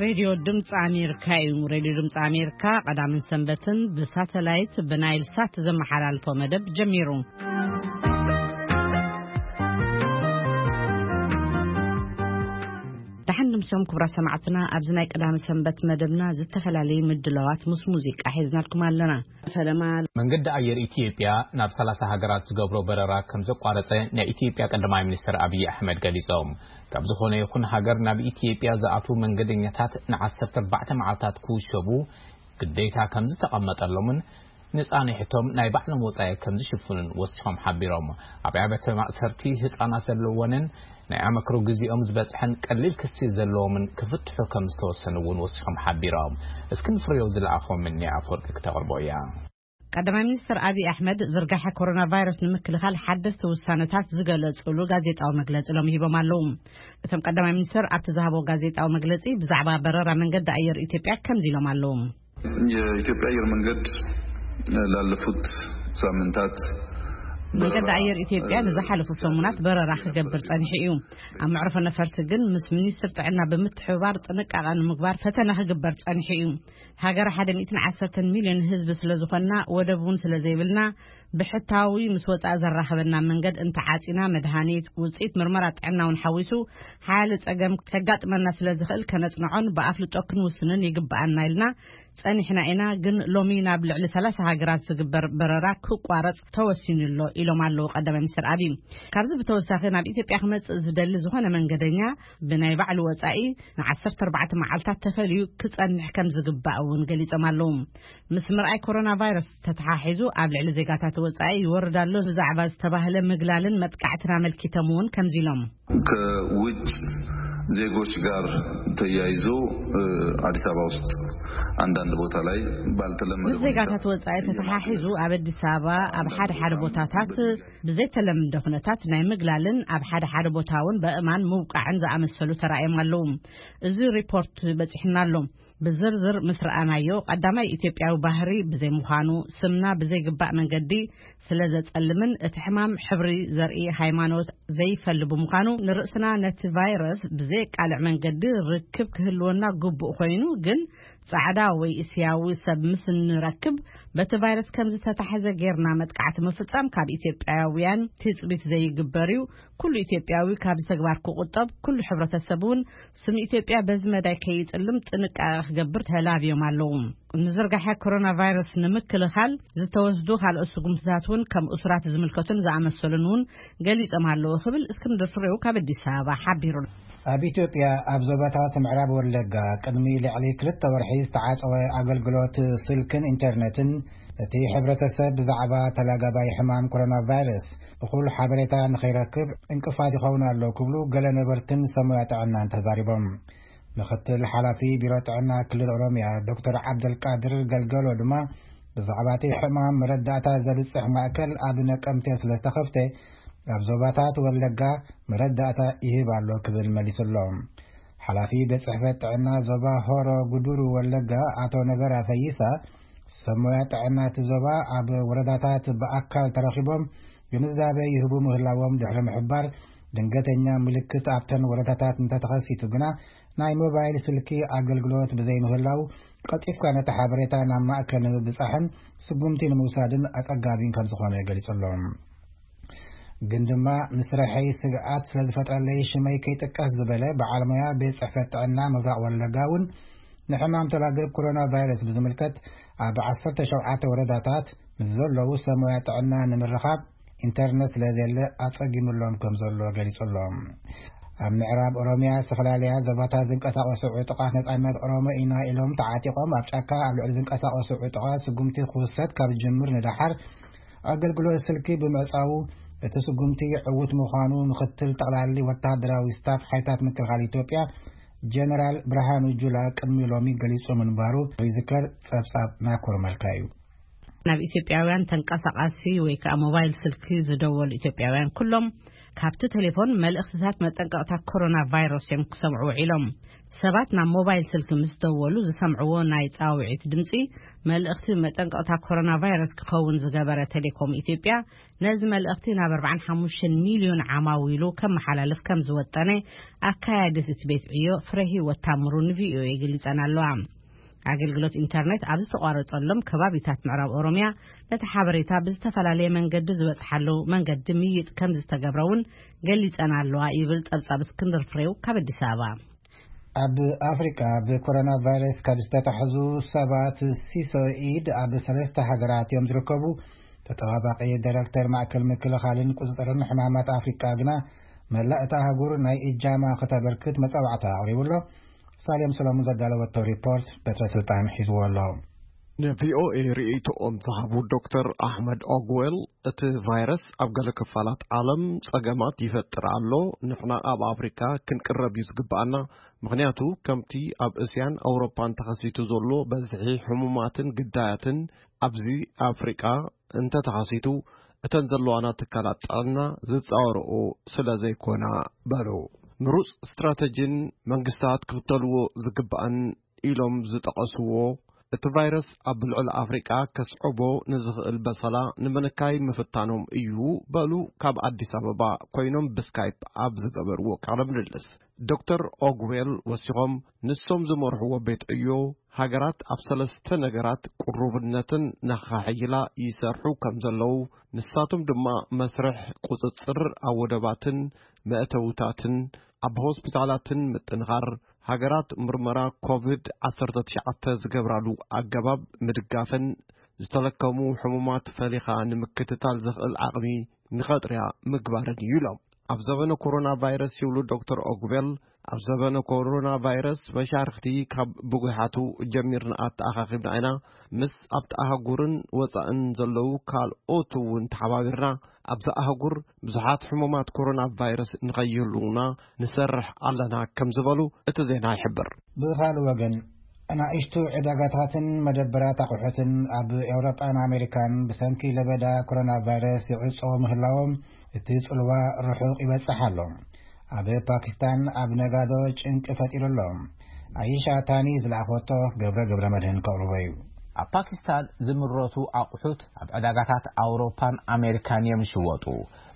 ሬድዮ ድምፂ ኣሜሪካ እዩ። ሬድዮ ድምፂ ኣሜሪካ ቀዳምን ሰንበትን ብሳተላይት ብናይል ሳት ዘመሓላልፎ መደብ ጀሚሩ። ደሓን ድምሶም ክቡራት ሰማዕትና፣ ኣብዚ ናይ ቀዳሚ ሰንበት መደብና ዝተፈላለዩ ምድላዋት ምስ ሙዚቃ ሒዝናልኩም ኣለና። ፈለማ መንገዲ ኣየር ኢትዮጵያ ናብ ሰላሳ ሃገራት ዝገብሮ በረራ ከም ዘቋረጸ ናይ ኢትዮጵያ ቀዳማይ ሚኒስትር ኣብይ ኣሕመድ ገሊጾም። ካብ ዝኾነ ይኹን ሃገር ናብ ኢትዮጵያ ዝኣትዉ መንገደኛታት ንዓሰርተ ኣርባዕተ መዓልታት ክውሸቡ ግዴታ ከም ዝተቐመጠሎምን ንጻንሕቶም ናይ ባዕሎም ወጻኢ ከም ዝሽፍኑን ወሲኾም ሓቢሮም። ኣብ ኣብያተ ማእሰርቲ ህጻናት ዘለወንን ናይ ኣመክሮ ግዜኦም ዝበጽሐን ቀሊል ክሲ ዘለዎምን ክፍትሑ ከም ዝተወሰኑ እውን ወሲኾም ሓቢሮም። እስክንድር ፍሬው ዝለኣኾም እኒ ኣፈወርቂ ክተቕርቦ እያ። ቀዳማይ ሚኒስትር ኣብይ ኣሕመድ ዝርጋሐ ኮሮና ቫይረስ ንምክልኻል ሓደስቲ ውሳነታት ዝገለጹሉ ጋዜጣዊ መግለጺ ሎም ሂቦም ኣለዉ። እቶም ቀዳማይ ሚኒስትር ኣብቲ ዝሃቦ ጋዜጣዊ መግለጺ ብዛዕባ በረራ መንገዲ ኣየር ኢትዮጵያ ከምዚ ኢሎም ኣለዉ። የኢትዮጵያ አየር መንገድ ላለፉት ሳምንታት መንገዲ በረራ፣ ኣየር ኢትዮጵያ እ፣ ንዝሓለፉ ሰሙናት በረራ ክገብር ጸኒሑ እዩ። ኣብ መዕርፎ ነፈርቲ ግን ምስ ሚኒስትር ጥዕና ብምትሕብባር ጥንቃቐ ንምግባር ፈተና ክግበር ጸኒሑ እዩ። ሃገር ሓደ ሚእትን ዓሰርተን ሚልዮን ህዝቢ ስለ ዝኾንና ወደብ እውን ስለ ዘይብልና ብሕታዊ ምስ ወጻኢ ዘራኽበና መንገድ እንተዓጺና መድሃኒት ውጽኢት ምርመራ ጥዕና እውን ሓዊሱ ሓያለ ጸገም ከጋጥመና ስለ ዝኽእል ከነጽንዖን ብኣፍልጦ ክንውስንን ይግብኣና ኢልና ጸኒሕና ኢና። ግን ሎሚ ናብ ልዕሊ ሰላሳ ሃገራት ዝግበር በረራ ክቋረጽ ተወሲኑ ኣሎ ኢሎም ኣለዉ ቀዳማይ ሚኒስትር ኣብይ። ካብዚ ብተወሳኺ ናብ ኢትዮጵያ ክመጽእ ዝደሊ ዝኾነ መንገደኛ ብናይ ባዕሉ ወጻኢ ንዓሰርተ ኣርባዕተ መዓልታት ተፈልዩ ክጸንሕ ከም ዝግባእ እውን ገሊጾም ኣለዉ። ምስ ምርኣይ ኮሮና ቫይረስ ተተሓሒዙ ኣብ ልዕሊ ዜጋታት ወጻኢ ይወርድ ኣሎ ብዛዕባ ዝተባህለ ምግላልን መጥቃዕትን ኣመልኪቶም እውን ከምዚ ኢሎም። ከውጭ ዜጎች ጋር ተያይዞ፣ እ፣ አዲስ አበባ ውስጥ አንዳንድ ቦታ ላይ ባልተለመደ ምስ ሁኔታ ዜጋታት ወጻኢ ተተሓሒዙ ኣብ ኣዲስ ኣበባ ኣብ ሓደ ሓደ ቦታታት ብዘይተለምደ ኩነታት ናይ ምግላልን ኣብ ሓደ ሓደ ቦታ እውን በእማን ምውቃዕን ዝኣመሰሉ ተራእዮም ኣለዉ። እዚ ሪፖርት በጺሕና ኣሎ። ብዝርዝር ምስ ረኣናዮ ቀዳማይ ኢትዮጵያዊ ባህሪ ብዘይምዃኑ ስምና ብዘይግባእ መንገዲ ስለ ዘጸልምን እቲ ሕማም ሕብሪ ዘርኢ ሃይማኖት ዘይፈሊ ብምዃኑ ንርእስና ነቲ ቫይረስ ብዘየቃልዕ መንገዲ ርክብ ክህልወና ግቡእ ኮይኑ ግን ጻዕዳ ወይ እስያዊ ሰብ ምስ እንረክብ በቲ ቫይረስ ከም ዝተታሕዘ ጌርና መጥቃዕቲ ምፍጻም ካብ ኢትዮጵያውያን ትጽቢት ዘይግበር እዩ። ኩሉ ኢትዮጵያዊ ካብዚ ተግባር ክቑጠብ፣ ኩሉ ሕብረተሰብ እውን ስም ኢትዮጵያ በዚ መዳይ ከይጽልም ጥንቃቐ ክገብር ተላብዮም ኣለዉ። ንዝርጋሐ ኮሮና ቫይረስ ንምክልኻል ዝተወስዱ ካልኦት ስጉምትታት እውን ከም እሱራት ዝምልከቱን ዝኣመሰሉን እውን ገሊጾም ኣለዉ ክብል እስክንድር ፍሬው ካብ ኣዲስ ኣበባ ሓቢሩ። ኣብ ኢትዮጵያ ኣብ ዞባታት ምዕራብ ወለጋ ቅድሚ ልዕሊ ክልተ ወርሒ ዝተዓጸወ ኣገልግሎት ስልክን ኢንተርነትን እቲ ሕብረተሰብ ብዛዕባ ተላጋባይ ሕማም ኮሮና ቫይረስ እኹል ሓበሬታ ንኸይረክብ ዕንቅፋት ይኸውን ኣሎ ክብሉ ገለ ነበርትን ሰሙያ ጥዕናን ተዛሪቦም። ምክትል ሓላፊ ቢሮ ጥዕና ክልል ኦሮምያ ዶክተር ዓብደልቃድር ገልገሎ ድማ ብዛዕባ እቲ ሕማም መረዳእታ ዘብጽሕ ማእከል ኣብ ነቀምቴ ስለ ዝተኸፍተ ኣብ ዞባታት ወለጋ መረዳእታ ይህብ ኣሎ ክብል መሊሱሎም። ሓላፊ ቤት ጽሕፈት ጥዕና ዞባ ሆሮ ጉዱሩ ወለጋ ኣቶ ነገራ ፈይሳ ሰብ ሞያ ጥዕና እቲ ዞባ ኣብ ወረዳታት ብኣካል ተረኺቦም ግንዛበ ይህቡ ምህላዎም ድሕሪ ምሕባር ድንገተኛ ምልክት ኣብተን ወረዳታት እንተተኸሲቱ ግና ናይ ሞባይል ስልኪ ኣገልግሎት ብዘይምህላው ቀልጢፍካ ነቲ ሓበሬታ ናብ ማእከል ንምብጻሕን ስጉምቲ ንምውሳድን ኣጸጋቢን ከም ዝኾነ ገሊጹ ኣሎ። ግን ድማ ንስርሐይ ስግኣት ስለ ዝፈጥረለይ ሽመይ ከይጥቀስ ዝበለ በዓል ሞያ ቤት ጽሕፈት ጥዕና ምብራቕ ወለጋ እውን ንሕማም ተላገብ ኮሮና ቫይረስ ብዝምልከት ኣብ ዓሰርተ ሸውዓተ ወረዳታት ምስ ዘለዉ ሰብ ሞያ ጥዕና ንምርኻብ ኢንተርነት ስለ ዘየለ ኣጸጊሙሎም ከም ዘሎ ገሊጹ ኣሎ። ኣብ ምዕራብ ኦሮምያ ዝተፈላለያ ዞባታት ዝንቀሳቐሱ ዕጡቓት ነጻነት ኦሮሞ ኢና ኢሎም ተዓጢቖም ኣብ ጫካ ኣብ ልዕሊ ዝንቀሳቐሱ ዕጡቓት ስጉምቲ ክውሰድ ካብ ዝጅምር ንደሓር ኣገልግሎት ስልኪ ብምዕጻዉ እቲ ስጉምቲ ዕዉት ምዃኑ ምክትል ጠቕላሊ ወተሃደራዊ ስታፍ ሓይልታት ምክልኻል ኢትዮጵያ ጀነራል ብርሃኑ ጁላ ቅድሚ ሎሚ ገሊጹ ምንባሩ ዝዝከር። ጸብጻብ ናኮር መልካ እዩ። ናብ ኢትዮጵያውያን ተንቀሳቓሲ ወይ ከዓ ሞባይል ስልኪ ዝደወሉ ኢትዮጵያውያን ኩሎም ካብቲ ቴሌፎን መልእኽትታት መጠንቀቕታ ኮሮና ቫይረስ እዮም ክሰምዑ ውዒሎም። ሰባት ናብ ሞባይል ስልኪ ምስ ደወሉ ዝሰምዕዎ ናይ ጻውዒት ድምጺ፣ መልእኽቲ መጠንቀቕታ ኮሮና ቫይረስ ክኸውን ዝገበረ ቴሌኮም ኢትዮጵያ፣ ነዚ መልእኽቲ ናብ ኣርባዓን ሓሙሽተን ሚልዮን ዓማዊሉ ከመሓላልፍ ከም ዝወጠነ ኣካያዲት እቲ ቤት ዕዮ ፍረ ህይወት ታምሩ ንቪኦኤ ገሊጸን ኣለዋ። ኣገልግሎት ኢንተርኔት ኣብ ዝተቋረጸሎም ከባቢታት ምዕራብ ኦሮምያ፣ ነቲ ሓበሬታ ብዝተፈላለየ መንገዲ ዝበጽሓሉ መንገዲ ምይጥ ከም ዝተገብረ እውን ገሊጸን ኣለዋ ይብል ጸብጻብ እስክንድር ፍሬው ካብ ኣዲስ ኣበባ። ኣብ ኣፍሪቃ ብኮሮና ቫይረስ ካብ ዝተታሕዙ ሰባት ሲሶ ኢድ ኣብ ሰለስተ ሃገራት እዮም ዝርከቡ። ተጠባባቂ ዳይሬክተር ማእከል ምክልኻልን ቁጽጽርን ሕማማት ኣፍሪቃ ግና መላእ እታ ኣህጉር ናይ እጃማ ከተበርክት መጻዋዕታ ኣቕሪቡ ኣሎ። ሳሌም ሰሎሞን ዘዳለወቶ ሪፖርት በትረ ስልጣን ሒዝዎ ኣሎ። ንቪኦኤ ርእይቶኦም ዝሃቡ ዶክተር ኣሕመድ ኦግዌል፣ እቲ ቫይረስ ኣብ ገለ ክፋላት ዓለም ጸገማት ይፈጥር ኣሎ። ንሕና ኣብ ኣፍሪካ ክንቅረብ እዩ ዝግብኣና። ምኽንያቱ ከምቲ ኣብ እስያን ኣውሮፓን ተኸሲቱ ዘሎ በዝሒ ሕሙማትን ግዳያትን ኣብዚ ኣፍሪቃ እንተተኸሲቱ፣ እተን ዘለዋና ትካላት ጥዕና ዝጻወርኦ ስለ ዘይኮና በሉ። ምሩጽ ስትራተጂን መንግስታት ክኽተልዎ ዝግባእን ኢሎም ዝጠቐስዎ፣ እቲ ቫይረስ ኣብ ልዕሊ ኣፍሪቃ ከስዕቦ ንዝኽእል በሰላ ንምንካይ ምፍታኖም እዩ በሉ። ካብ ኣዲስ ኣበባ ኮይኖም ብስካይፕ ኣብ ዝገበርዎ ቃለ ምልልስ፣ ዶክተር ኦግዌል ወሲኾም፣ ንሶም ዝመርሕዎ ቤት ዕዮ ሃገራት ኣብ ሰለስተ ነገራት ቅሩብነትን ነኻሕይላ ይሰርሑ ከም ዘለዉ፣ ንሳቶም ድማ መስርሕ ቁጽጽር ኣብ ወደባትን መእተውታትን፣ ኣብ ሆስፒታላትን ምጥንኻር፣ ሃገራት ምርመራ ኮቪድ ዓሰርተ ትሽዓተ ዝገብራሉ ኣገባብ ምድጋፍን፣ ዝተለከሙ ሕሙማት ፈሊኻ ንምክትታል ዘኽእል ዓቕሚ ንኸጥርያ ምግባርን እዩ ኢሎም። ኣብ ዘበነ ኮሮና ቫይረስ ይብሉ ዶክተር ኦግቤል፣ ኣብ ዘበነ ኮሮና ቫይረስ መሻርኽቲ ካብ ብጉሓቱ ጀሚርና ኣተኣኻኺብና ኢና። ምስ ኣብቲ ኣህጉርን ወጻእን ዘለዉ ካልኦት እውን ተሓባቢርና፣ ኣብዛ ኣህጉር ብዙሓት ሕሙማት ኮሮና ቫይረስ ንኸይህልዉና ንሰርሕ ኣለና ከም ዝበሉ እቲ ዜና ይሕብር። ብኻልእ ወገን፣ ኣናእሽቱ ዕዳጋታትን መደበራት ኣቑሑትን ኣብ ኤውሮጳን ኣሜሪካን ብሰንኪ ለበዳ ኮሮና ቫይረስ ይዕጸዉ ምህላዎም እቲ ጽልዋ ርሑቕ ይበጽሕ ኣሎ። ኣብ ፓኪስታን ኣብ ነጋዶ ጭንቂ ፈጢሩ ኣሎ። ኣይሻ ታኒ ዝለኣኾቶ ገብረ ገብረ መድህን ከቕርቦ እዩ። ኣብ ፓኪስታን ዝምረቱ ኣቑሑት ኣብ ዕዳጋታት ኣውሮፓን ኣሜሪካን እዮም ዝሽወጡ።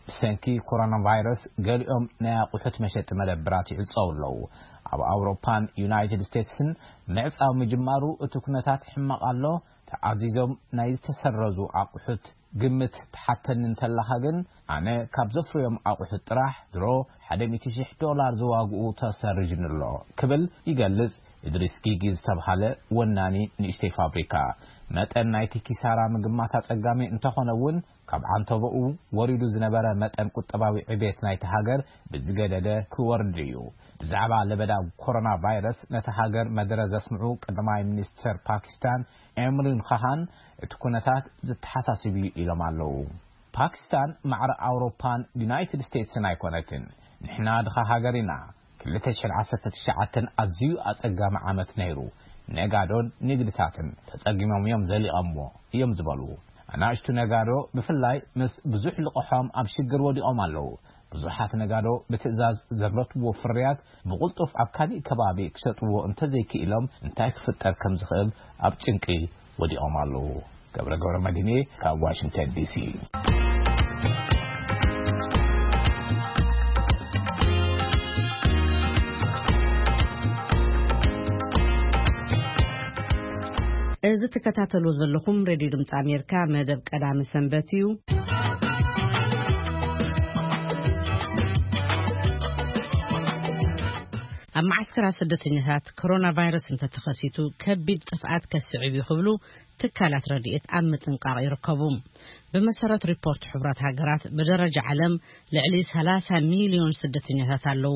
ብሰንኪ ኮሮና ቫይረስ ገሊኦም ናይ ኣቑሑት መሸጢ መደብራት ይዕጸው ኣለዉ። ኣብ ኣውሮፓን ዩናይትድ ስቴትስን ምዕጻው ምጅማሩ እቲ ኩነታት ሕማቕ ኣሎ። ተኣዚዞም ናይ ዝተሰረዙ ኣቑሑት ግምት ትሓተኒ እንተለኻ ግን፣ ኣነ ካብ ዘፍርዮም ኣቑሑት ጥራሕ ድሮ ሓደ ሚእቲ ሽሕ ዶላር ዝዋግኡ ተሰሪዙኒ ኣሎ ክብል ይገልጽ። እድሪስ ጊጊ ዝተብሃለ ወናኒ ንእሽተይ ፋብሪካ፣ መጠን ናይቲ ኪሳራ ምግማት ኣጸጋሚ እንተኾነ እውን፣ ካብ ዓንተቦኡ ወሪዱ ዝነበረ መጠን ቁጠባዊ ዕቤት ናይቲ ሃገር ብዝገደደ ክወርድ እዩ። ብዛዕባ ለበዳ ኮሮና ቫይረስ ነቲ ሃገር መደረ ዘስምዑ ቀዳማይ ሚኒስተር ፓኪስታን ኤምሪን ኻሃን፣ እቲ ኩነታት ዘተሓሳስብ እዩ ኢሎም ኣለዉ። ፓኪስታን ማዕረ ኣውሮፓን ዩናይትድ ስቴትስን ኣይኮነትን። ንሕና ድኻ ሃገር ኢና። ክልተ ሽሕን ዓሰርተ ትሽዓተን ኣዝዩ ኣጸጋሚ ዓመት ነይሩ። ነጋዶን ንግድታትን ተጸጊሞም እዮም ዘሊቐምዎ እዮም ዝበሉ። ኣናእሽቱ ነጋዶ ብፍላይ ምስ ብዙሕ ልቕሖም ኣብ ሽግር ወዲቖም ኣለዉ። ብዙሓት ነጋዶ ብትእዛዝ ዘምረትዎ ፍርያት ብቕልጡፍ ኣብ ካሊእ ከባቢ ክሸጥዎ እንተዘይክኢሎም እንታይ ክፍጠር ከም ዝኽእል ኣብ ጭንቂ ወዲቖም ኣለዉ። ገብረ ገብረ መድህን ካብ ዋሽንግተን ዲሲ። እዚ ትከታተሉ ዘለኹም ሬድዮ ድምፂ ኣሜሪካ መደብ ቀዳሚ ሰንበት እዩ። ኣብ መዓስከራት ስደተኛታት ኮሮና ቫይረስ እንተተኸሲቱ ከቢድ ጥፍኣት ከስዕብ እዩ ክብሉ ትካላት ረድኤት ኣብ ምጥንቃቕ ይርከቡ። ብመሰረት ሪፖርት ሕቡራት ሃገራት፣ ብደረጃ ዓለም ልዕሊ ሰላሳ ሚልዮን ስደተኛታት ኣለዉ።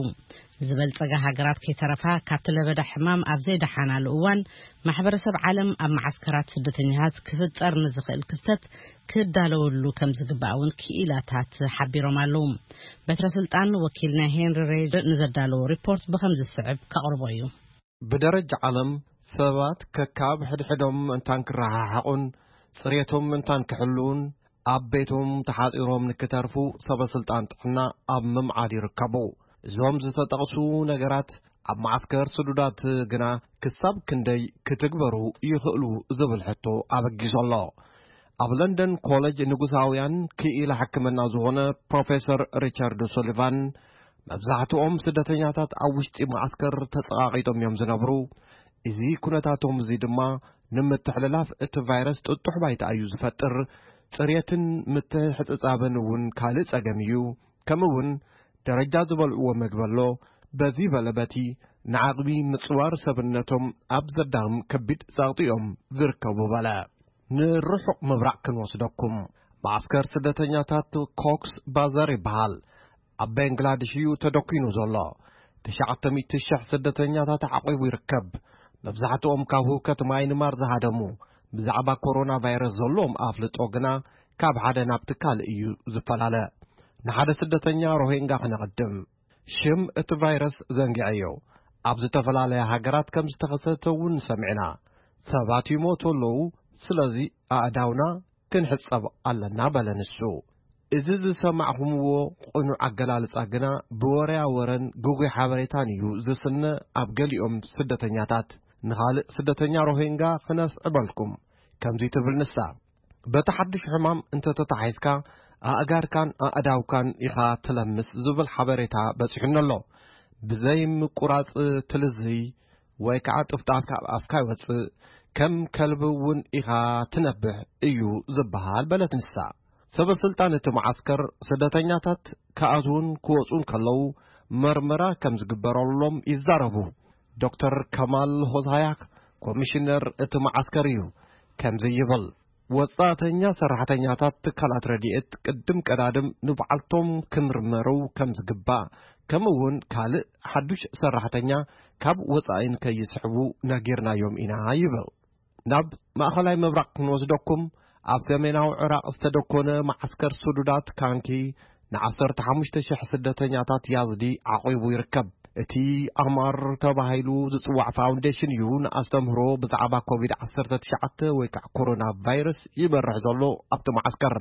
ዝበልጸጋ ሃገራት ከይተረፋ ካብቲ ለበዳ ሕማም ኣብ ዘይደሓናሉ እዋን፣ ማሕበረሰብ ዓለም ኣብ መዓስከራት ስደተኛታት ክፍጠር ንዝኽእል ክስተት ክዳለወሉ ከም ዝግባእ እውን ክኢላታት ሓቢሮም ኣለዉ። በትረ ስልጣን ወኪልና ሄንሪ ሬይድ ንዘዳለዎ ሪፖርት ብኸም ዝስዕብ ከቕርቦ እዩ። ብደረጃ ዓለም ሰባት ከካብ ሕድሕዶም ምእንታን ክረሓሓቑን ጽሬቶም ምእንታን ክሕልዉን ኣብ ቤቶም ተሓጺሮም ንክተርፉ ሰበ ስልጣን ጥዕና ኣብ ምምዓድ ይርከቡ። እዞም ዝተጠቕሱ ነገራት ኣብ መዓስከር ስዱዳት ግና ክሳብ ክንደይ ክትግበሩ ይኽእሉ ዝብል ሕቶ ኣበጊሱ ኣሎ። ኣብ ለንደን ኮሌጅ ንጉሳውያን ክኢላ ሕክምና ዝኾነ ፕሮፌሰር ሪቻርድ ሱሊቫን፣ መብዛሕትኦም ስደተኛታት ኣብ ውሽጢ መዓስከር ተጸቓቒጦም እዮም ዝነብሩ። እዚ ኩነታቶም እዚ ድማ ንምትሕልላፍ እቲ ቫይረስ ጥጡሕ ባይታ እዩ ዝፈጥር። ጽሬትን ምትሕጽጻብን እውን ካልእ ጸገም እዩ። ከምኡ እውን ደረጃ ዝበልዕዎ መግቢ ኣሎ። በዚ በለ በቲ ንዓቕሚ ምጽዋር ሰብነቶም ኣብ ዘዳኽም ከቢድ ጸቕጢ እዮም ዝርከቡ በለ። ንርሑቕ ምብራቕ ክንወስደኩም። መዓስከር ስደተኛታት ኮክስ ባዛር ይበሃል። ኣብ ባንግላዴሽ እዩ ተደኲኑ ዘሎ። ትሽዓተ ሚእቲ ሽሕ ስደተኛታት ዓቒቡ ይርከብ። መብዛሕትኦም ካብ ህውከት ማይንማር ዝሃደሙ፣ ብዛዕባ ኮሮና ቫይረስ ዘለዎም ኣፍልጦ ግና ካብ ሓደ ናብቲ ካልእ እዩ ዝፈላለ። ንሓደ ስደተኛ ሮሂንጋ ክነቐድም። ሽም እቲ ቫይረስ ዘንጊዐዮ። ኣብ ዝተፈላለያ ሃገራት ከም ዝተኸሰተ እውን ሰሚዕና። ሰባት ይሞቱ ኣለዉ፣ ስለዚ ኣእዳውና ክንሕጸብ ኣለና በለ ንሱ። እዚ ዝሰማዕኹምዎ ቅኑዕ ኣገላልጻ ግና ብወረያ ወረን ግጉይ ሓበሬታን እዩ ዝስነ። ኣብ ገሊኦም ስደተኛታት፣ ንኻልእ ስደተኛ ሮሂንጋ ክነስዕበልኩም፣ ከምዚ ትብል ንሳ። በቲ ሓድሽ ሕማም እንተተታሒዝካ ኣእጋርካን ኣእዳውካን ኢኻ ትለምስ ዝብል ሓበሬታ በጺሑኒ ኣሎ። ብዘይ ምቁራጽ ትልዝይ ወይ ከዓ ጥፍጣፍ ካብ ኣፍካ ይወጽእ፣ ከም ከልቢ እውን ኢኻ ትነብሕ እዩ ዝበሃል በለት ንሳ። ሰበ ስልጣን እቲ መዓስከር ስደተኛታት ክኣትዉን ክወጹን ከለዉ መርመራ ከም ዝግበረሎም ይዛረቡ። ዶክተር ከማል ሆሳያክ ኮሚሽነር እቲ መዓስከር እዩ። ከምዚ ይብል። ወጻእተኛ ሰራሕተኛታት ትካላት ረድኤት ቅድም ቀዳድም ንባዕልቶም ክምርመሩ ከም ዝግባእ፣ ከምኡ እውን ካልእ ሓዱሽ ሰራሕተኛ ካብ ወጻኢ ንከይስሕቡ ነጊርናዮም ኢና ይብል። ናብ ማእኸላይ ምብራቕ ክንወስደኩም፣ ኣብ ሰሜናዊ ዕራቕ ዝተደኮነ መዓስከር ስዱዳት ካንኪ ንዓሰርተ ሓሙሽተ ሽሕ ስደተኛታት ያዝዲ ዓቒቡ ይርከብ። እቲ ኣማር ተባሂሉ ዝጽዋዕ ፋውንዴሽን እዩ ንኣስተምህሮ ብዛዕባ ኮቪድ ዓሰርተ ትሽዓተ ወይ ከዓ ኮሮና ቫይረስ ይመርሕ ዘሎ ኣብቲ መዓስከር።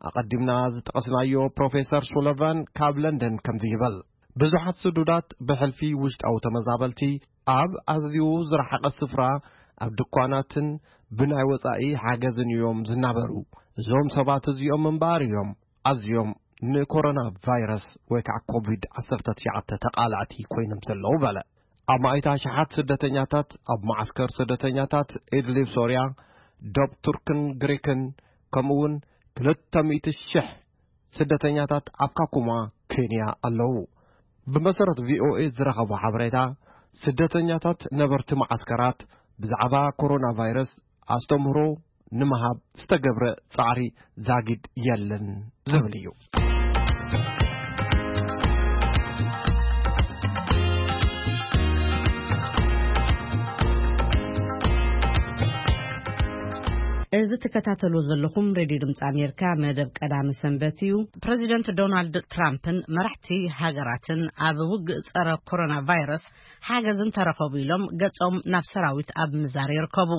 ኣቐዲምና ዝጠቐስናዮ ፕሮፌሰር ሱለቫን ካብ ለንደን ከምዚ ይብል። ብዙሓት ስዱዳት ብሕልፊ ውሽጣዊ ተመዛበልቲ ኣብ ኣዝዩ ዝረሓቐ ስፍራ ኣብ ድኳናትን ብናይ ወጻኢ ሓገዝን እዮም ዝናበሩ። እዞም ሰባት እዚኦም እምበኣር እዮም ኣዝዮም ንኮሮና ቫይረስ ወይ ከዓ ኮቪድ ዓሰርተ ትሽዓተ ተቓላዕቲ ኮይኖም ዘለዉ በለ። ኣማኢት ኣሽሓት ስደተኛታት ኣብ መዓስከር ስደተኛታት ኢድሊብ ሶርያ፣ ዶብ ቱርክን ግሪክን፣ ከምኡ እውን ክልተ ሚእቲ ሽሕ ስደተኛታት ኣብ ካኩማ ኬንያ ኣለዉ። ብመሰረት ቪኦኤ ዝረኸቦ ሓበሬታ፣ ስደተኛታት ነበርቲ መዓስከራት ብዛዕባ ኮሮና ቫይረስ ኣስተምህሮ ንምሃብ ዝተገብረ ጻዕሪ ዛጊድ የለን ዝብል እዩ። እዚ ትከታተሉ ዘለኹም ሬድዮ ድምፂ ኣሜሪካ መደብ ቀዳሚ ሰንበት እዩ። ፕሬዚደንት ዶናልድ ትራምፕን መራሕቲ ሃገራትን ኣብ ውግእ ጸረ ኮሮና ቫይረስ ሓገዝ እንተረኸቡ ኢሎም ገጾም ናብ ሰራዊት ኣብ ምዛር ይርከቡ።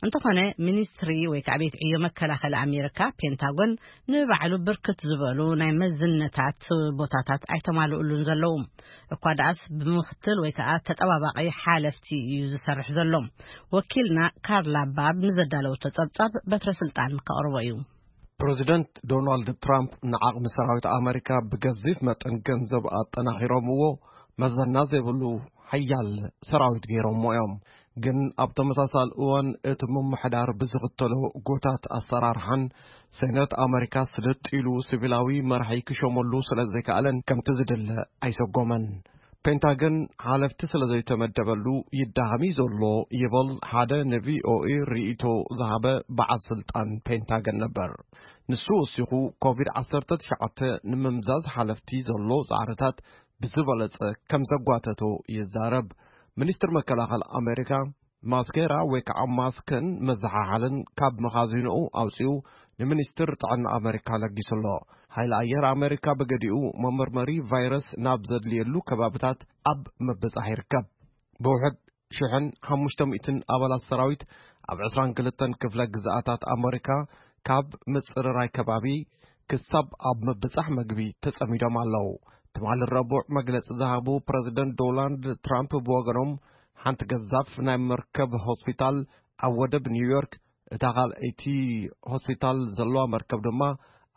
እንተኾነ ሚኒስትሪ ወይ ከዓ ቤት ዕዮ መከላኸሊ ኣሜሪካ ፔንታጎን ንባዕሉ ብርክት ዝበሉ ናይ መዝነታት ቦታታት ኣይተማልኡሉን ዘለዉ። እኳ ደኣስ ብምኽትል ወይ ከዓ ተጠባባቒ ሓለፍቲ እዩ ዝሰርሕ ዘሎ። ወኪልና ካርላ ባብ ንዘዳለወቶ ጸብጻብ በትረ ስልጣን ከቕርቦ እዩ። ፕሬዚደንት ዶናልድ ትራምፕ ንዓቕሚ ሰራዊት ኣመሪካ ብገዚፍ መጠን ገንዘብ ኣጠናኺሮምዎ፣ መዘና ዘይብሉ ሓያል ሰራዊት ገይሮምዎ እዮም። ግን ኣብ ተመሳሳሊ እዋን እቲ ምምሕዳር ብዝኽተሎ ጎታት ኣሰራርሓን ሴነት ኣመሪካ ስልጥ ኢሉ ሲቪላዊ መራሒ ክሾመሉ ስለ ዘይከኣለን ከምቲ ዝድለ ኣይሰጎመን። ፔንታገን ሓለፍቲ ስለ ዘይተመደበሉ ይዳኸም እዩ ዘሎ ይብል ሓደ ንቪኦኤ ርእይቶ ዝሃበ በዓል ስልጣን ፔንታገን ነበር። ንሱ ወሲኹ ኮቪድ ዓሰርተ ትሽዓተ ንምምዛዝ ሓለፍቲ ዘሎ ጻዕርታት ብዝበለጸ ከም ዘጓተቶ ይዛረብ። ሚኒስትር መከላኸሊ ኣሜሪካ ማስኬራ ወይ ከዓ ማስክን መዘሓሓልን ካብ መኻዚንኡ ኣውፂኡ ንሚኒስትር ጥዕና ኣሜሪካ ለጊሱ ኣሎ። ሓይሊ ኣየር ኣሜሪካ ብገዲኡ መመርመሪ ቫይረስ ናብ ዘድልየሉ ከባብታት ኣብ ምብጻሕ ይርከብ። ብውሕድ ሽሕን ሓሙሽተ ሚእትን ኣባላት ሰራዊት ኣብ ዕስራን ክልተን ክፍለ ግዝኣታት ኣሜሪካ ካብ ምጽርራይ ከባቢ ክሳብ ኣብ ምብጻሕ መግቢ ተጸሚዶም ኣለዉ። ትማሊ ረቡዕ መግለጺ ዝሃቡ ፕረዚደንት ዶናልድ ትራምፕ ብወገኖም፣ ሓንቲ ገዛፍ ናይ መርከብ ሆስፒታል ኣብ ወደብ ኒውዮርክ፣ እታ ካልኣይቲ ሆስፒታል ዘለዋ መርከብ ድማ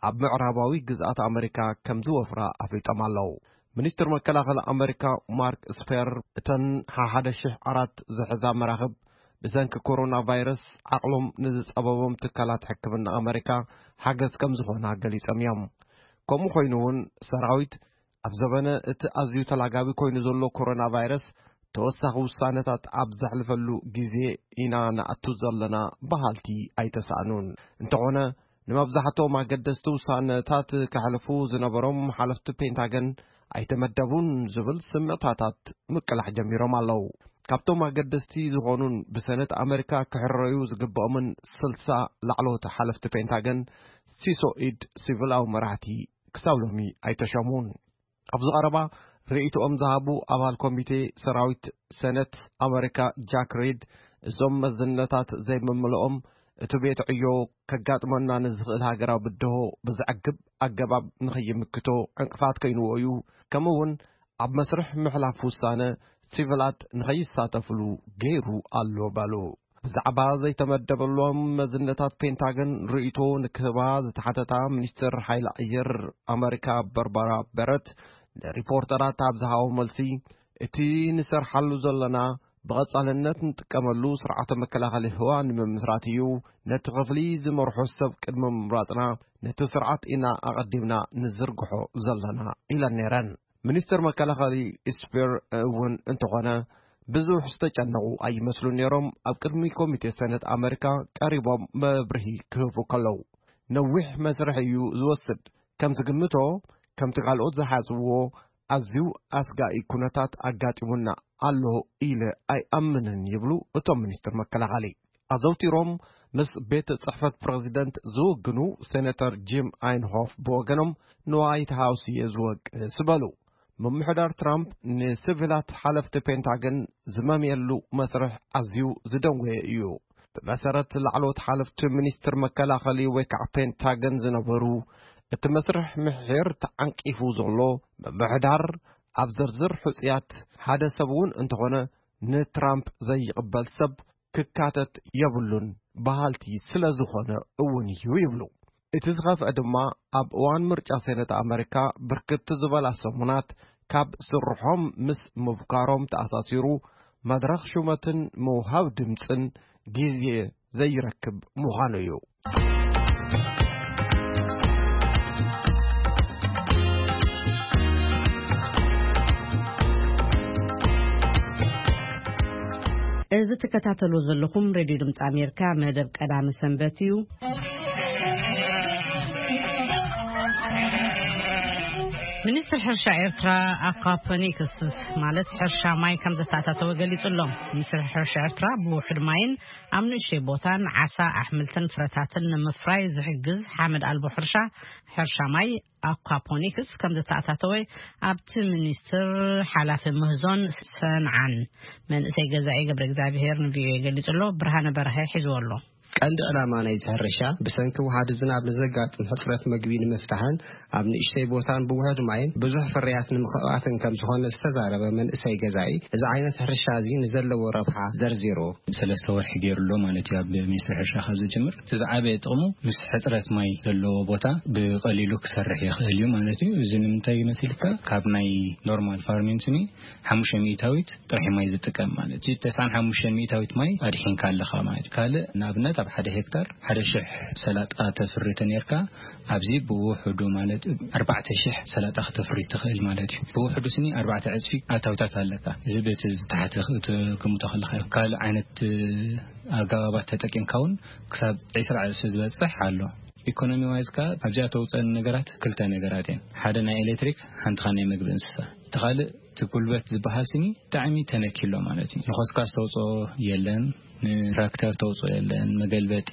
ኣብ ምዕራባዊ ግዝኣት ኣመሪካ ከም ዝወፍራ ኣፍሊጦም ኣለዉ። ሚኒስትር መከላኸሊ ኣመሪካ ማርክ ስፐር፣ እተን ሓሓደ ሽሕ ኣራት ዝሕዛ መራኽብ ብሰንኪ ኮሮና ቫይረስ ዓቕሎም ንዝጸበቦም ትካላት ሕክምና ኣመሪካ ሓገዝ ከም ዝኾና ገሊጾም እዮም። ከምኡ ኮይኑ እውን ሰራዊት ኣብ ዘበነ እቲ ኣዝዩ ተላጋቢ ኮይኑ ዘሎ ኮሮና ቫይረስ ተወሳኺ ውሳነታት ኣብ ዘሕልፈሉ ግዜ ኢና ንኣቱ ዘለና በሃልቲ ኣይተሳእኑን። እንተኾነ ንመብዛሕትኦም ኣገደስቲ ውሳነታት ከሕልፉ ዝነበሮም ሓለፍቲ ፔንታገን ኣይተመደቡን ዝብል ስምዕታታት ምቅላሕ ጀሚሮም ኣለዉ። ካብቶም ኣገደስቲ ዝኾኑን ብሰነት ኣመሪካ ክሕረዩ ዝግብኦምን ስልሳ ላዕለዎት ሓለፍቲ ፔንታገን ሲሶ ኢድ ሲቪላዊ መራሕቲ ክሳብ ሎሚ ኣይተሸሙን። ኣብዚ ቀረባ ርእይቶኦም ዝሃቡ ኣባል ኮሚቴ ሰራዊት ሰነት ኣመሪካ ጃክ ሪድ፣ እዞም መዝነታት ዘይምምልኦም እቲ ቤት ዕዮ ከጋጥመና ንዝኽእል ሃገራዊ ብድሆ ብዘዕግብ ኣገባብ ንኸይምክቶ ዕንቅፋት ከይንዎ እዩ፣ ከምኡ እውን ኣብ መስርሕ ምሕላፍ ውሳነ ሲቪላት ንኸይሳተፍሉ ገይሩ ኣሎ በሉ። ብዛዕባ ዘይተመደበሎም መዝነታት ፔንታገን ርእይቶ ንክህባ ዝተሓተታ ሚኒስትር ሓይሊ ኣየር ኣመሪካ በርባራ በረት ንሪፖርተራት ኣብ ዝሃቦ መልሲ፣ እቲ ንሰርሓሉ ዘለና ብቐጻልነት ንጥቀመሉ ስርዓተ መከላኸሊ ህዋ ንምምስራት እዩ። ነቲ ክፍሊ ዝመርሖ ሰብ ቅድሚ ምምራጽና ነቲ ስርዓት ኢና ኣቐዲምና ንዝርግሖ ዘለና ኢለን ነይረን። ሚኒስትር መከላኸሊ ስፒር እውን እንተኾነ ብዙሕ ዝተጨነቑ ኣይመስሉን ነይሮም። ኣብ ቅድሚ ኮሚቴ ሰነት ኣመሪካ ቀሪቦም መብርሂ ክህቡ ከለዉ፣ ነዊሕ መስርሕ እዩ ዝወስድ። ከም ዝግምቶ፣ ከምቲ ካልኦት ዝሓስብዎ ኣዝዩ ኣስጋኢ ኩነታት ኣጋጢሙና ኣሎ ኢለ ኣይኣምንን ይብሉ እቶም ሚኒስትር መከላኸሊ። ኣዘውቲሮም ምስ ቤት ጽሕፈት ፕረዚደንት ዝውግኑ ሴኔተር ጂም ኣይንሆፍ ብወገኖም፣ ንዋይት ሃውስ እየ ዝወቅስ በሉ። ምምሕዳር ትራምፕ ንሲቪላት ሓለፍቲ ፔንታገን ዝመምየሉ መስርሕ ኣዝዩ ዝደንጎየ እዩ። ብመሰረት ላዕለዎት ሓለፍቲ ሚኒስትር መከላኸሊ ወይ ከዓ ፔንታገን ዝነበሩ፣ እቲ መስርሕ ምሒር ተዓንቂፉ ዘሎ ምምሕዳር ኣብ ዝርዝር ሕጹያት ሓደ ሰብ እውን እንተኾነ ንትራምፕ ዘይቕበል ሰብ ክካተት የብሉን በሃልቲ ስለ ዝኾነ እውን እዩ ይብሉ። እቲ ዝኸፍአ ድማ ኣብ እዋን ምርጫ ሴነት ኣመሪካ ብርክት ዝበላ ሰሙናት ካብ ስርሖም ምስ ምብካሮም ተኣሳሲሩ መድረኽ ሹመትን ምውሃብ ድምፅን ግዜ ዘይረክብ ምዃኑ እዩ። እዚ ትከታተሉ ዘለኹም ሬድዮ ድምፂ ኣሜሪካ መደብ ቀዳሚ ሰንበት እዩ። ሚኒስትር ሕርሻ ኤርትራ ኣኳፖኒክስ ማለት ሕርሻ ማይ ከም ዘተኣታተወ ገሊጹ ኣሎ። ሚኒስትር ሕርሻ ኤርትራ ብውሑድ ማይን ኣብ ንእሽተይ ቦታን ዓሳ፣ ኣሕምልትን ፍረታትን ንምፍራይ ዝሕግዝ ሓመድ ኣልቦ ሕርሻ፣ ሕርሻ ማይ ኣኳፖኒክስ ከም ዘተኣታተወ ኣብቲ ሚኒስትር ሓላፊ ምህዞን ሰንዓን መንእሰይ ገዛኢ ገብረ እግዚኣብሔር ንቪኦኤ ገሊጹ ኣሎ። ብርሃነ በርሀ ሒዝዎ ኣሎ። ቀንዲ ዕላማ ናይዚ ሕርሻ ብሰንኪ ውሓዲ ዝናብ ንዘጋጥም ሕጽረት መግቢ ንምፍታሕን ኣብ ንእሽተይ ቦታን ብውሑድ ማይን ብዙሕ ፍርያት ንምኽኣትን ከም ዝኾነ ዝተዛረበ መንእሰይ ገዛኢ፣ እዚ ዓይነት ሕርሻ እዚ ንዘለዎ ረብሓ ዘርዚሩ። ሰለስተ ወርሒ ገይሩ ኣሎ ማለት እዩ። ኣብ ሚኒስትሪ ሕርሻ ካብ ዝጅምር እቲ ዝዓበየ ጥቕሙ ምስ ሕጽረት ማይ ዘለዎ ቦታ ብቐሊሉ ክሰርሕ ይኽእል እዩ ማለት እዩ። እዚ ንምንታይ እዩ መሲልካ? ካብ ናይ ኖርማል ፋርሚንግ ስኒ ሓሙሽተ ሚእታዊት ጥራሕ ማይ ዝጥቀም ማለት እዩ። ተስዓን ሓሙሽተ ሚእታዊት ማይ ኣድሒንካ ኣለኻ ማለት እዩ። ካልእ ንኣብነት ኣብ ሓደ ሄክታር ሓደ ሽሕ ሰላጣ ተፍሪ ተኔርካ ኣብዚ ብውሑዱ ማለት ኣርባዕተ ሽሕ ሰላጣ ክተፍሪ ትኽእል ማለት እዩ። ብውሑዱ ስኒ ኣርባዕተ ዕጽፊ ኣታዊታት ኣለካ። እዚ በቲ ዝተሓተ ክትግምቶ ከለኻ እዩ። ካልእ ዓይነት ኣገባባት ተጠቂምካ እውን ክሳብ ዕስራ ዕጽፊ ዝበጽሕ ኣሎ። ኢኮኖሚ ዋይዝ ከኣ ኣብዚኣ ተውፀን ነገራት ክልተ ነገራት እየን። ሓደ ናይ ኤሌክትሪክ፣ ሓንቲኻ ናይ መግቢ እንስሳ። እቲ ካልእ እቲ ጉልበት ዝበሃል ስኒ ብጣዕሚ ተነኪሎ ማለት እዩ። ንኸስካ ዝተውፅኦ የለን። ንትራክተር ተውፅኦ የለን፣ መገልበጢ፣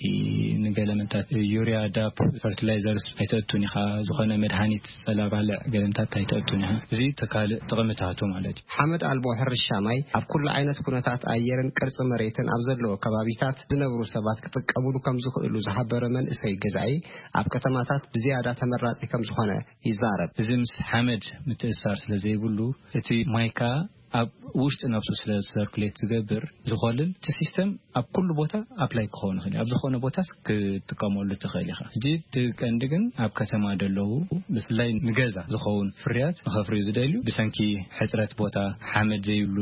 ንገለመታት ዩሪያ፣ ዳፕ፣ ፈርቲላይዘርስ ኣይተእቱን ኢኻ፣ ዝኾነ መድሃኒት ጸላባልዕ ገለምታት ኣይተእቱን ኢኻ። እዚ ተካልእ ጥቕምታቱ ማለት እዩ። ሓመድ ኣልቦ ሕርሻ ማይ ኣብ ኩሉ ዓይነት ኩነታት ኣየርን ቅርጺ መሬትን ኣብ ዘለዎ ከባቢታት ዝነብሩ ሰባት ክጥቀሙሉ ከም ዝኽእሉ ዝሓበረ መንእሰይ ገዛኢ፣ ኣብ ከተማታት ብዝያዳ ተመራጺ ከም ዝኾነ ይዛረብ። እዚ ምስ ሓመድ ምትእሳር ስለ ዘይብሉ፣ እቲ ማይ ከኣ ኣብ ውሽጢ ነብሱ ስለ ሰርኩሌት ዝገብር፣ ዝኸልል፣ እቲ ሲስተም ኣብ ኩሉ ቦታ ኣፕላይ ክኸውን ይኽእል እዩ። ኣብ ዝኾነ ቦታስ ክትጥቀመሉ ትኽእል ኢኻ። ሕጂ እቲ ቀንዲ ግን ኣብ ከተማ ደለዉ፣ ብፍላይ ንገዛ ዝኸውን ፍርያት ንኸፍርዩ ዝደልዩ፣ ብሰንኪ ሕጽረት ቦታ፣ ሓመድ ዘይብሉ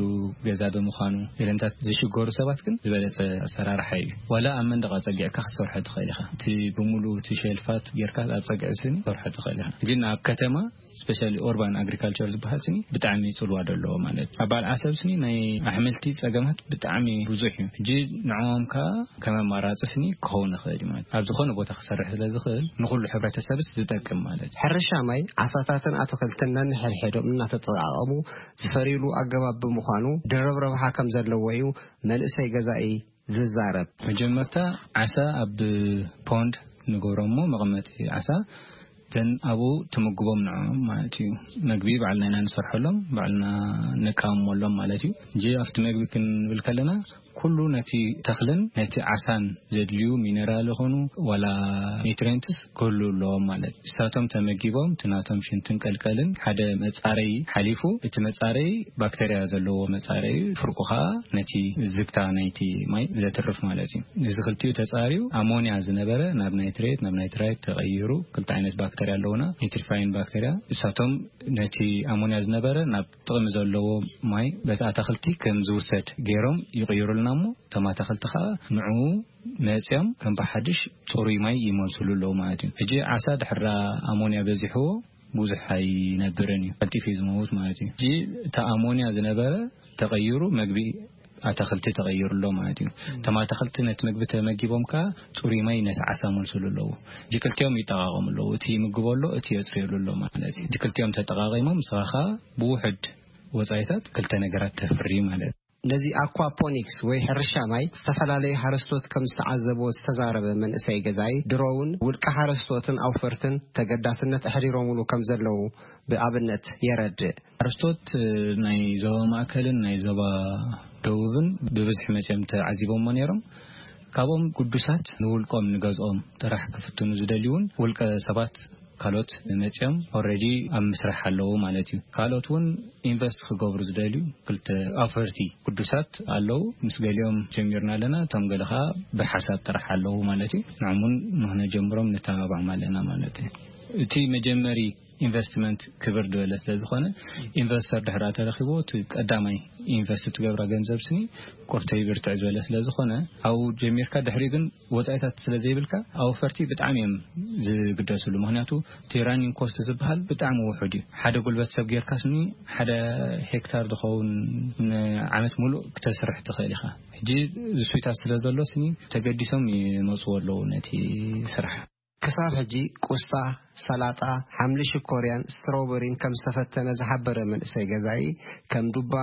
ገዛ ብምዃኑ፣ ገለምታት ዝሽገሩ ሰባት ግን ዝበለጸ ኣሰራርሓ እዩ። ዋላ ኣብ መንደቕ ኣጸጊዕካ ክትሰርሖ ትኽእል ኢኻ። እቲ ብምሉእ እቲ ሸልፋት ጌርካ ኣብ ጸግዒ ስኒ ክትሰርሖ ትኽእል ኢኻ። ግን ኣብ ከተማ፣ ስፔሻሊ ኦርባን ኣግሪካልቸር ዝበሃል ስኒ ብጣዕሚ ጽልዋ ደለዎ ማለት እዩ። ኣብ በዓል ዓሰብ ስኒ ናይ ኣሕምልቲ ጸገማት ብጣዕሚ ብዙሕ እዩ። ሕጂ ንዕኦም ከኣ ከም ኣማራጺ ስኒ ክኸውን ይኽእል እዩ ማለት እዩ። ኣብ ዝኾነ ቦታ ክሰርሕ ስለ ዝኽእል ንኹሉ ሕብረተሰብስ ዝጠቅም ማለት እዩ። ሕርሻ ማይ፣ ዓሳታትን ኣትኽልትን ነንሕድሕዶም እናተጠቓቐሙ ዝፈርዩሉ ኣገባብ ብምዃኑ ድርብ ረብሓ ከም ዘለዎ እዩ መንእሰይ ገዛኢ ዝዛረብ። መጀመርታ ዓሳ ኣብ ፖንድ ንገብሮ እሞ መቐመጢ ዓሳ፣ ዘን ኣብኡ ትምግቦም ንዕኦም ማለት እዩ። መግቢ ባዕልና ኢና ንሰርሐሎም፣ ባዕልና ነቃምመሎም ማለት እዩ። እንጂ ኣብቲ መግቢ ክንብል ከለና ኩሉ ነቲ ተኽልን ነቲ ዓሳን ዘድልዩ ሚነራል ይኹኑ ዋላ ኒትሪየንትስ ክህሉ ኣለዎም ማለት እዩ። ንሳቶም ተመጊቦም እቲ ናቶም ሽንትን ቀልቀልን ሓደ መጻረዪ ሓሊፉ፣ እቲ መጻረዪ ባክተርያ ዘለዎ መጻረዪ፣ ፍርቁ ኸኣ ነቲ ዝግታ ናይቲ ማይ ዘትርፍ ማለት እዩ። እዚ ክልቲኡ ተጻርዩ ኣሞንያ ዝነበረ ናብ ናይትሬት፣ ናብ ናይትራይት ተቐይሩ። ክልተ ዓይነት ባክተርያ ኣለውና፣ ኒትሪፋይን ባክተርያ። ንሳቶም ነቲ ኣሞንያ ዝነበረ ናብ ጥቕሚ ዘለዎ ማይ በቲ ኣታኽልቲ ከም ዝውሰድ ገይሮም ይቕይሩልና እሞ፣ እቶም ኣታኽልቲ ኸኣ ንዕኡ መጽዮም ከም ብሓድሽ ጽሩይ ማይ ይመልስሉ ኣለዉ ማለት እዩ። ሕጂ ዓሳ ድሕራ ኣሞንያ በዚሕዎ ብዙሕ ኣይነብርን እዩ፣ ቀልጢፉ እዩ ዝመውት ማለት እዩ። ሕጂ እቲ ኣሞንያ ዝነበረ ተቐይሩ መግቢ ኣታኽልቲ ተቐይሩ ኣሎ ማለት እዩ። እቶም ኣታኽልቲ ነቲ መግቢ ተመጊቦም ከኣ ጽሩይ ማይ ነቲ ዓሳ መልስሉ ኣለዉ። ሕጂ ክልቲኦም ይጠቓቐሙ ኣለዉ። እቲ ይምግቦ ኣሎ፣ እቲ የጽርየሉ ኣሎ ማለት እዩ። ሕጂ ክልቲኦም ተጠቓቒሞም ንስኻ ከኣ ብውሑድ ወጻኢታት ክልተ ነገራት ተፍሪ ማለት እዩ። ነዚ ኣኳፖኒክስ ወይ ሕርሻ ማይ ዝተፈላለዩ ሓረስቶት ከም ዝተዓዘብዎ ዝተዛረበ መንእሰይ ገዛኢ፣ ድሮ እውን ውልቀ ሓረስቶትን ኣውፈርትን ተገዳስነት ኣሕዲሮምሉ ከም ዘለዉ ብኣብነት የረድእ። ሓረስቶት ናይ ዞባ ማእከልን ናይ ዞባ ደቡብን ብብዝሒ መጺኦም ተዓዚቦምዎ ነይሮም። ካብኦም ግዱሳት ንውልቆም ንገዝኦም ጥራሕ ክፍትኑ ዝደልዩ እውን ውልቀ ሰባት ካልኦት መጺኦም ኦልሬዲ ኣብ ምስራሕ ኣለዉ ማለት እዩ። ካልኦት እውን ኢንቨስት ክገብሩ ዝደልዩ ክልተ ኣውፈርቲ ግዱሳት ኣለዉ። ምስ ገሊኦም ጀሚርና ኣለና፣ እቶም ገለ ኸኣ ብሓሳብ ጥራሕ ኣለዉ ማለት እዩ። ንዖም እውን ንኽነጀምሮም ንተባብዖም ኣለና ማለት እዩ። እቲ መጀመሪ ኢንቨስትመንት ክብር ዝበለ ስለ ዝኾነ፣ ኢንቨስተር ድሕራ ተረኺብዎ፣ እቲ ቀዳማይ ኢንቨስት ትገብራ ገንዘብ ስኒ ቁርተይ ብርትዕ ዝበለ ስለ ዝኾነ፣ ኣብኡ ጀሚርካ፣ ድሕሪኡ ግን ወጻኢታት ስለ ዘይብልካ፣ ኣውፈርቲ ብጣዕሚ እዮም ዝግደስሉ። ምኽንያቱ፣ እቲ ራኒንግ ኮስት ዝበሃል ብጣዕሚ ውሑድ እዩ። ሓደ ጉልበት ሰብ ጌርካ ስኒ፣ ሓደ ሄክታር ዝኸውን ንዓመት ሙሉእ ክተስርሕ ትኽእል ኢኻ። ሕጂ ዝስዊታት ስለ ዘሎ ስኒ፣ ተገዲሶም ይመጽዎ ኣለዉ ነቲ ስራሕ። ክሳብ ሕጂ ቁስጣ፣ ሰላጣ፣ ሓምሊ ሽኮርያን ስትሮበሪን ከም ዝተፈተነ ዝሓበረ መንእሰይ ገዛኢ፣ ከም ዱባ፣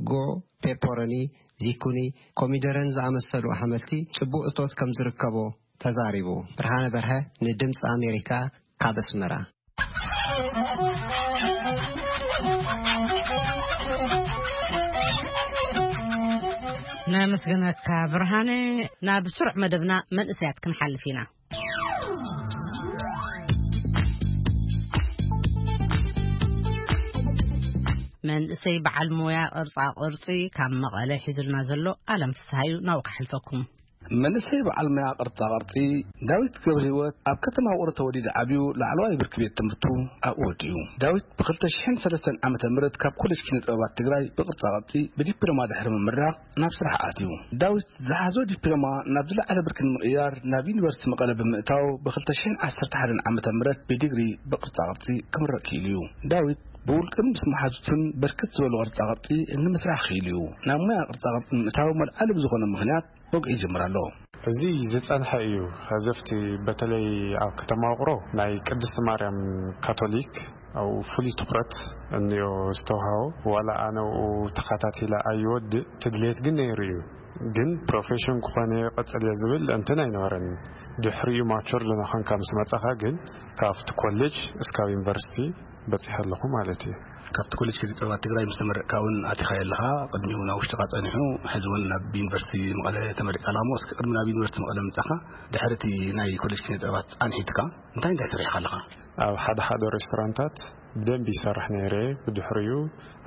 ጉዕ፣ ፔፐሮኒ፣ ዚኩኒ፣ ኮሚደረን ዝኣመሰሉ ኣሕምልቲ ጽቡቕ እቶት ከም ዝርከቦ ተዛሪቡ። ብርሃነ በርሀ ንድምጺ ኣሜሪካ ካብ ኣስመራ። ነመስግነካ ብርሃነ። ናብ ስሩዕ መደብና መንእሰያት ክንሓልፍ ኢና። መንእሰይ በዓል ሞያ ቅርጻ ቅርጺ ካብ መቐለ ሒዙልና ዘሎ ኣለም ፍስሃዩ ናብኡ ከሕልፈኩም። መንእሰይ በዓል ሞያ ቅርጻ ቅርጺ ዳዊት ገብረ ህይወት ኣብ ከተማ ውቕሮ ተወሊዱ ዓብዩ ላዕለዋይ ብርኪ ቤት ትምህርቱ ኣብኡ ወዲኡ። ዳዊት ብ ክልተ ሽሕን ሰለስተን ዓመተ ምህረት ካብ ኮሌጅ ኪነ ጥበባት ትግራይ ብቅርጻ ቅርጺ ብዲፕሎማ ድሕሪ ምምራቕ ናብ ስራሕ ኣትዩ። ዳዊት ዝሓዞ ዲፕሎማ ናብ ዝለዓለ ብርኪ ንምቕያር ናብ ዩኒቨርሲቲ መቐለ ብምእታው ብ ክልተ ሽሕን ዓሰርተ ሓደን ዓመተ ምህረት ብዲግሪ ብቅርጻ ቅርጺ ክምረቕ ክኢሉ እዩ። ዳዊት ብውልቅን ምስ መሓዙቱን በርከት ዝበሉ ቅርጻ ቅርጺ ንምስራሕ ክኢሉ እዩ። ናብ ሞያ ቅርጻ ቅርጺ ንምእታው መልዓሊ ብዝኾነ ምኽንያት ወግዒ ይጅምር ኣሎ። እዚ ዝጸንሐ እዩ። ኸዚ ኣብቲ በተለይ ኣብ ከተማ ውቕሮ ናይ ቅድስቲ ማርያም ካቶሊክ ኣብኡ ፍሉይ ትኹረት እንዮ ዝተውሃቦ። ዋላ ኣነ ኣብኡ ተኸታቲለ ኣይወድእ፣ ትድልየት ግን ነይሩ እዩ። ግን ፕሮፌሽን ክኾነ ቀጽል እየ ዝብል እንትን ኣይነበረን። ድሕሪኡ ማቹር ዝኾንካ ምስ መጻኻ ግን ካብቲ ኮሌጅ እስካብ ዩኒቨርሲቲ በጺሐ ኣለኹ ማለት እዩ። ካብቲ ኮሌጅ ኪነ ጥበባት ትግራይ ምስ ተመረቅካ እውን ኣቲኻዮ ኣለኻ። ቅድሚኡ ናብ ውሽጥኻ ጸኒሑ፣ ሕዚ እውን ናብ ዩኒቨርሲቲ መቐለ ተመሪቕካ ኣለኻ እሞ፣ እስኪ ቅድሚ ናብ ዩኒቨርሲቲ መቐለ ምጻኻ፣ ድሕሪ እቲ ናይ ኮሌጅ ኪነ ጥበባት ጻንሒትካ እንታይ እንታይ ሰሪሕካ ኣለኻ? ኣብ ሓደ ሓደ ሬስቶራንታት ብደንቢ ይሰርሕ ነይረ። ብድሕሪኡ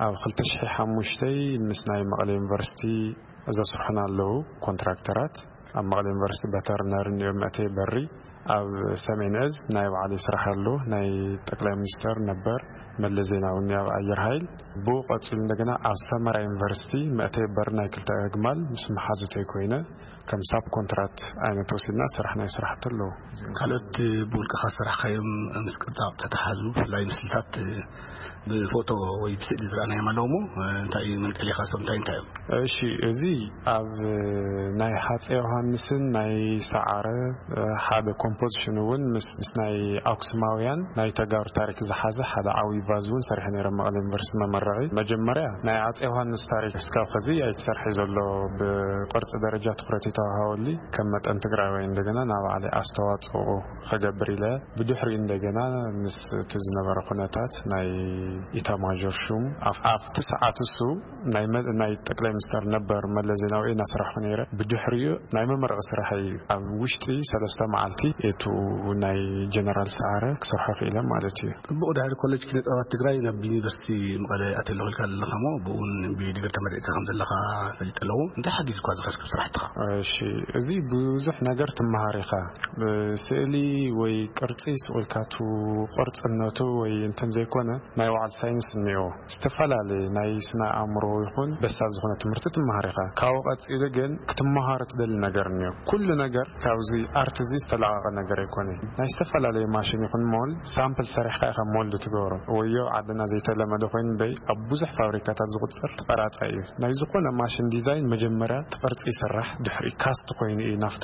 ኣብ ክልተ ሽሕ ሓሙሽተ ምስ ናይ መቐለ ዩኒቨርሲቲ ዘስርሑና ኣለዉ ኮንትራክተራት። ኣብ መቐለ ዩኒቨርሲቲ በተርነር እንዮ መእተይ በሪ። ኣብ ሰሜን እዝ ናይ ባዕለይ ስራሕ ኣሎ፣ ናይ ጠቅላይ ሚኒስተር ነበር መለስ ዜናዊ እንዮ ኣብ ኣየር ሃይል። ብኡ ቀጺሉ እንደገና ኣብ ሰመራ ዩኒቨርሲቲ መእተይ በሪ ናይ ክልተ ኣግማል ምስ መሓዙተይ ኮይነ ከም ሳብ ኮንትራት ዓይነት ወሲድና ስራሕ ናይ ስራሕቲ ኣለዉ። ካልኦት ብውልቅኻ ዝሰራሕካዮም ምስ ቅርጻ ተተሓዙ፣ ብፍላይ ምስልታት ብፎቶ ወይ ብስእሊ ዝረኣናዮም ኣለዉ እሞ፣ እንታይ እዩ መንቀሊኻ፣ እሶም እንታይ እንታይ እዮም? እሺ፣ እዚ ኣብ ናይ ሃፀይ ዮሃንስን ናይ ሰዓረ ሓደ ኮምፖዚሽን እውን ምስ፣ ምስ ናይ ኣክሱማውያን ናይ ተጋሩ ታሪክ ዝሓዘ ሓደ ዓብዪ ቫዝ እውን ሰሪሐ ነይረ፣ መቐለ ዩኒቨርሲቲ መመረቒ። መጀመርያ ናይ ኣፀይ ዮሃንስ ታሪክ እስካብ ኸዚ ኣይተሰርሐ ዘሎ፣ ብቅርፂ ደረጃ ትኹረት ይተዋሃወሊ፣ ከም መጠን ትግራዋይ እንደገና ናብ ባዕለይ ኣስተዋፅኦ ኸገብር ኢለ። ብድሕሪኡ እንደገና ምስ እቲ ዝነበረ ኩነታት ናይ ኢታማዦር ሹም ኣፍ-፣ ኣብቲ ሰዓት እሱ ናይ መ-፣ ናይ ጠቅላይ ሚኒስተር ነበር መለስ ዜናዊ እናሰራሕኩ ነይረ። ብድሕሪኡ ናይ መመረቂ ስራሕ እዩ። ኣብ ውሽጢ ሰለስተ መዓልቲ እቱ ናይ ጀነራል ሰዓረ ክሰርሖ ክኢለ ማለት እዩ። ጽቡቕ፣ ድሕሪ ኮሌጅ ኪነ ጥበባት ትግራይ ናብ ዩኒቨርሲቲ መቐለ ኣትየ ኣለኹ ኢልካ ዘለኻ እሞ፣ ብእውን ብዲግሪ ተመሪቕካ ከም ዘለኻ ፈሊጠ ኣለኹ። እንታይ ሓጊዙካ እዚ ከስክብ ስራሕትኻ? እሺ፣ እዚ ብዙሕ ነገር ትመሃር ኢኻ። ስእሊ ወይ ቅርጺ ስቕ ኢልካ እቱ ቅርጽነቱ ወይ እንትን ዘይኮነ፣ ናይ ባዕሉ ሳይንስ እኒኦ። ዝተፈላለየ ናይ ስነ ኣእምሮ ይኹን በሳል ዝኾነ ትምህርቲ ትመሃር ኢኻ። ካብኡ ቀጺሉ ግን ክትመሃሮ ትደሊ ነገር እኒኦ። ኩሉ ነገር ካብዚ ኣርት እዚ ዝተለቐቐ ነገር ኣይኮነን። ናይ ዝተፈላለየ ማሽን ይኹን ሞል ሳምፕል ሰሪሕካ ኢኻ ሞልድ ትገብሮ። ወዮ ዓድና ዘይተለመደ ኮይኑ እምበይ ኣብ ብዙሕ ፋብሪካታት ዝቑጸር ተቐራጻይ እዩ። ናይ ዝኾነ ማሽን ዲዛይን መጀመርያ እቲ ቅርጺ ይስራሕ፣ ድሕሪ ካስት ኮይኑ እዩ ናብቲ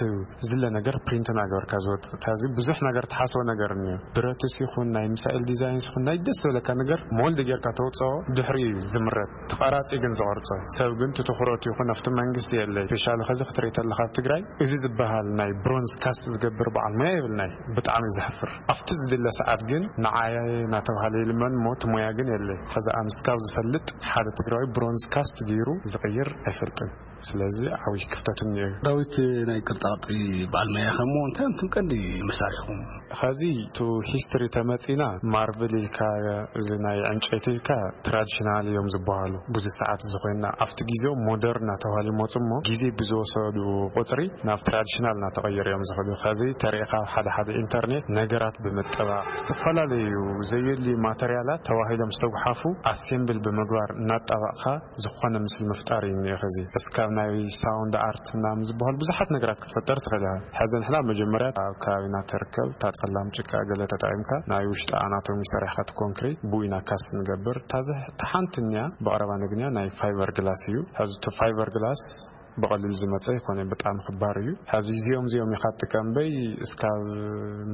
ዝለ ነገር ፕሪንት እናገበርካ ዝወጽእ። ካብዚ ብዙሕ ነገር ትሓስቦ ነገር እኒኦ። ብረትስ ይኹን ናይ ሚሳኤል ዲዛይንስ ይኹን ናይ ደስ ዝበለካ ነገር ሞልድ ጌርካ ተውጽኦ፣ ድሕሪ እዩ ዝምረት። ተቐራጺ ግን ዝቐርጾ ሰብ ግን ትትኹረቱ ይኹን ኣብቲ መንግስቲ የለይ። ስፔሻሊ ኸዚ ክትርኢ ተለኻ ኣብ ትግራይ እዚ ዝበሃል ናይ ብሮንዝ ካስት ዝገብር በዓል ሞያ የብልናይ። ብጣዕሚ ዘሕፍር። ኣብቲ ዝድለ ሰዓት ግን ንዓየ እናተባህለ ይልመን እሞ እቲ ሞያ ግን የለይ። ኸዚ ኣነ እስካብ ዝፈልጥ ሓደ ትግራዊ ብሮንዝ ካስት ገይሩ ዝቕይር ኣይፈልጥን። ስለዚ ዓብዪ ክፍተት እኒኦ እዩ። ዳዊት፣ ናይ ቅርጻ ቅርጺ በዓል ሞያ ኢኻ እሞ እንታይ እዮም እቶም ቀንዲ መሳርሒኹም? ኸዚ ቱ ሂስትሪ ተመጺና ማርብል ኢልካ እዚ ናይ ዕንጨይቲ ኢልካ ትራዲሽናል እዮም ዝበሃሉ። ብዙ ሰዓት እዚ ኮይና ኣብቲ ግዜኦም ሞደርን እናተባህሉ ይመጹ እሞ ግዜ ብዝወሰዱ ቁጽሪ ናብ ትራዲሽናል እናተቐየሩ እዮም ዝኸዱ። ኸዚ ተሪእኻ ኣብ ሓደ ሓደ ኢንተርኔት ነገራት ብምጥባቕ ዝተፈላለዩ ዘየድልዩ ማተርያላት ተባሂሎም ዝተጉሓፉ ኣሴምብል ብምግባር እናጣባቕኻ ዝኾነ ምስሊ ምፍጣር እዩ እኒኦ። ኸዚ እስካብ ናይ ሳውንድ ኣርት ምናምን ዝበሃሉ ብዙሓት ነገራት ክትፈጠር ትኽእል ኢኻ። ሕዚ ንሕና መጀመርያ ኣብ ከባቢና ትርከብ እታ ጸላም ጭቃ ገለ ተጠቒምካ ናይ ውሽጢ ኣናቶሚ ሰሪሕካ እቲ ኮንክሪት ብኡ ኢና ካስት ንገብር። እታ ዝሕ-፣ እታ ሓንቲ እኒኣ ብቐረባ ነግንያ ናይ ፋይበር ግላስ እዩ። ሕዚ እቲ ፋይበር ግላስ ብቐሊሉ ዝመጸ ኣይኮነ፣ ብጣዕሚ ክባር እዩ። ሕዚ እዚኦም እዚኦም ኢኻ ትጥቀም በይ እስካብ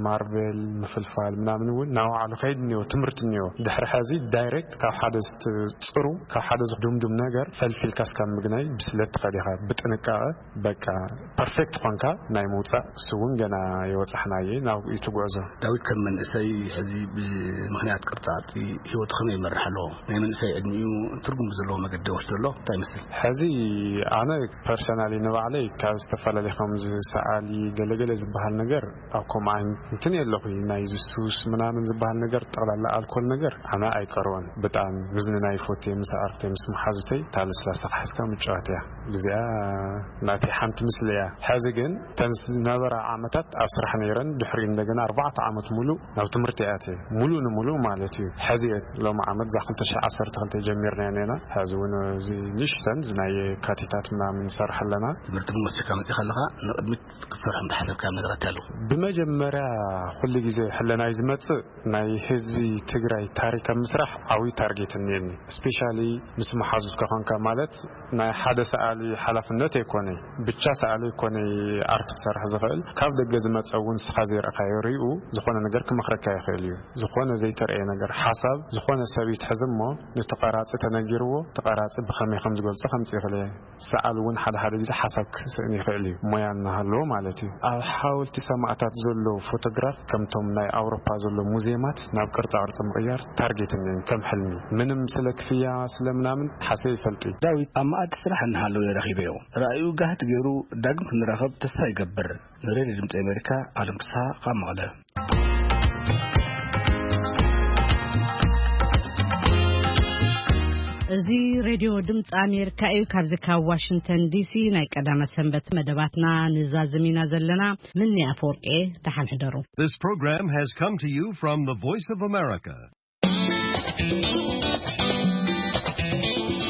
ማርቤል ምፍልፋል ምናምን እውን ናብ ባዕሉ ከይድ እኒኦ፣ ትምህርቲ እኒኦ። ድሕሪ ሕዚ ዳይሬክት ካብ ሓደ ዝትጽሩ፣ ካብ ሓደ ዝድምዱም ነገር ፈልፊልካ እስካብ ምግናይ ብስለት ትኸድ ኢኻ። ብጥንቃቐ በቃ ፐርፌክት ኾንካ ናይ ምውጻእ፣ እሱ እውን ገና የወጻሕናየ፣ ናብኡ እዩ እቲ ጉዕዞ። ዳዊት፣ ከም መንእሰይ ሕዚ ብምኽንያት ቅርጻ ቅርጺ ህይወቱ ከመይ ይመርሕ ኣሎ? ናይ መንእሰይ ዕድሚኡ ትርጉም ብዘለዎ መገዲ ይወስዶ ኣሎ? እንታይ ይመስል? ሕዚ ኣነ ፐርሰናሊ ንባዕለይ ካብ ዝተፈላለዩ ከምዚ ሰዓሊ ገለገለ ዝበሃል ነገር ኣብ ከምኡ ዓይነት እንትን የለኹ። ናይ ሱስ ምናምን ዝበሃል ነገር፣ ጠቕላላ ኣልኮል ነገር ኣነ ኣይቀርቦን። ብጣዕሚ ምዝንናይ ይፈቱ እየ፣ ምስ ኣዕርኽተይ ምስ መሓዙተይ እታ ለስላሳ ክሓዝካ ምጭዋት እያ። እዚኣ ናተይ ሓንቲ ምስሊ እያ። ሕዚ ግን እተን ዝነበራ ዓመታት ኣብ ስራሕ ነይረን፣ ድሕሪኡ እንደገና ኣርባዕተ ዓመት ሙሉእ ናብ ትምህርቲ እየ ኣትየ፣ ሙሉእ ንሙሉእ ማለት እዩ። ሕዚ እየ ሎሚ ዓመት እዛ ክልተ ሽሕ ዓሰርተ ክልተ ጀሚርና ኔና፣ ሕዚ እውን እዚ ንእሽተን እዚ ናይ የካቲታት ምናምን ሰርሕ ኣለና። ትምህርቲ ግን ወሲድካ መፂኻ ኣለኻ፣ ንቕድሚት ክትሰርሖም ዝሓሰብካዮም ነገራት ኣለዉ? ብመጀመርያ ኩሉ ግዜ ሕለናይ ዝመጽእ ናይ ህዝቢ ትግራይ ታሪክ ኣብ ምስራሕ ዓብዪ ታርጌት እኒአኒ። ስፔሻሊ ምስ መሓዙት ከኾንካ፣ ማለት ናይ ሓደ ሰኣሊ ሓላፍነት ኣይኮነ፣ ብቻ ሰኣሊ ኣይኮነ ኣርት ክሰርሕ ዝኽእል። ካብ ደገ ዝመጸ እውን ንስኻ ዘይረእካዮ ሪኡ ዝኾነ ነገር ክመኽረካ ይኽእል እዩ። ዝኾነ ዘይተረእየ ነገር፣ ሓሳብ ዝኾነ ሰብ ይትሕዝ እሞ፣ ነቲ ቀራጺ ተነጊርዎ፣ እቲ ቀራጺ ብኸመይ ከም ዝገልጾ ከምጽእ ይኽእል እየ። ሰኣል እውን ሓደ ሓደ ግዜ ሓሳብ ክስእን ይኽእል እዩ፣ ሞያ እናሃለዎ ማለት እዩ። ኣብ ሓወልቲ ሰማእታት ዘሎ ፎቶግራፍ ከምቶም ናይ ኣውሮፓ ዘሎ ሙዚየማት ናብ ቅርጻ ቅርጺ ምቕያር ታርጌት እኒአን ከም ሕልሚ። ምንም ስለ ክፍያ ስለ ምናምን ሓሰብ ይፈልጥ እዩ። ዳዊት ኣብ መኣዲ ስራሕ እናሃለወ ረኺበዮ። ራእዩ ጋህድ ገይሩ ዳግም ክንራኸብ ተስፋ ይገብር። ንሬድዮ ድምፂ ኣሜሪካ፣ ኣለም ፍስሓ ካብ መቐለ። እዚ ሬድዮ ድምፂ ኣሜሪካ እዩ። ካብዚ ካብ ዋሽንግተን ዲሲ ናይ ቀዳመ ሰንበት መደባትና ንዛዝም ኢና ዘለና። ምኒ ኣፈወርቂ፣ ደሓን ሕደሩ። This program has come to you from the Voice of America.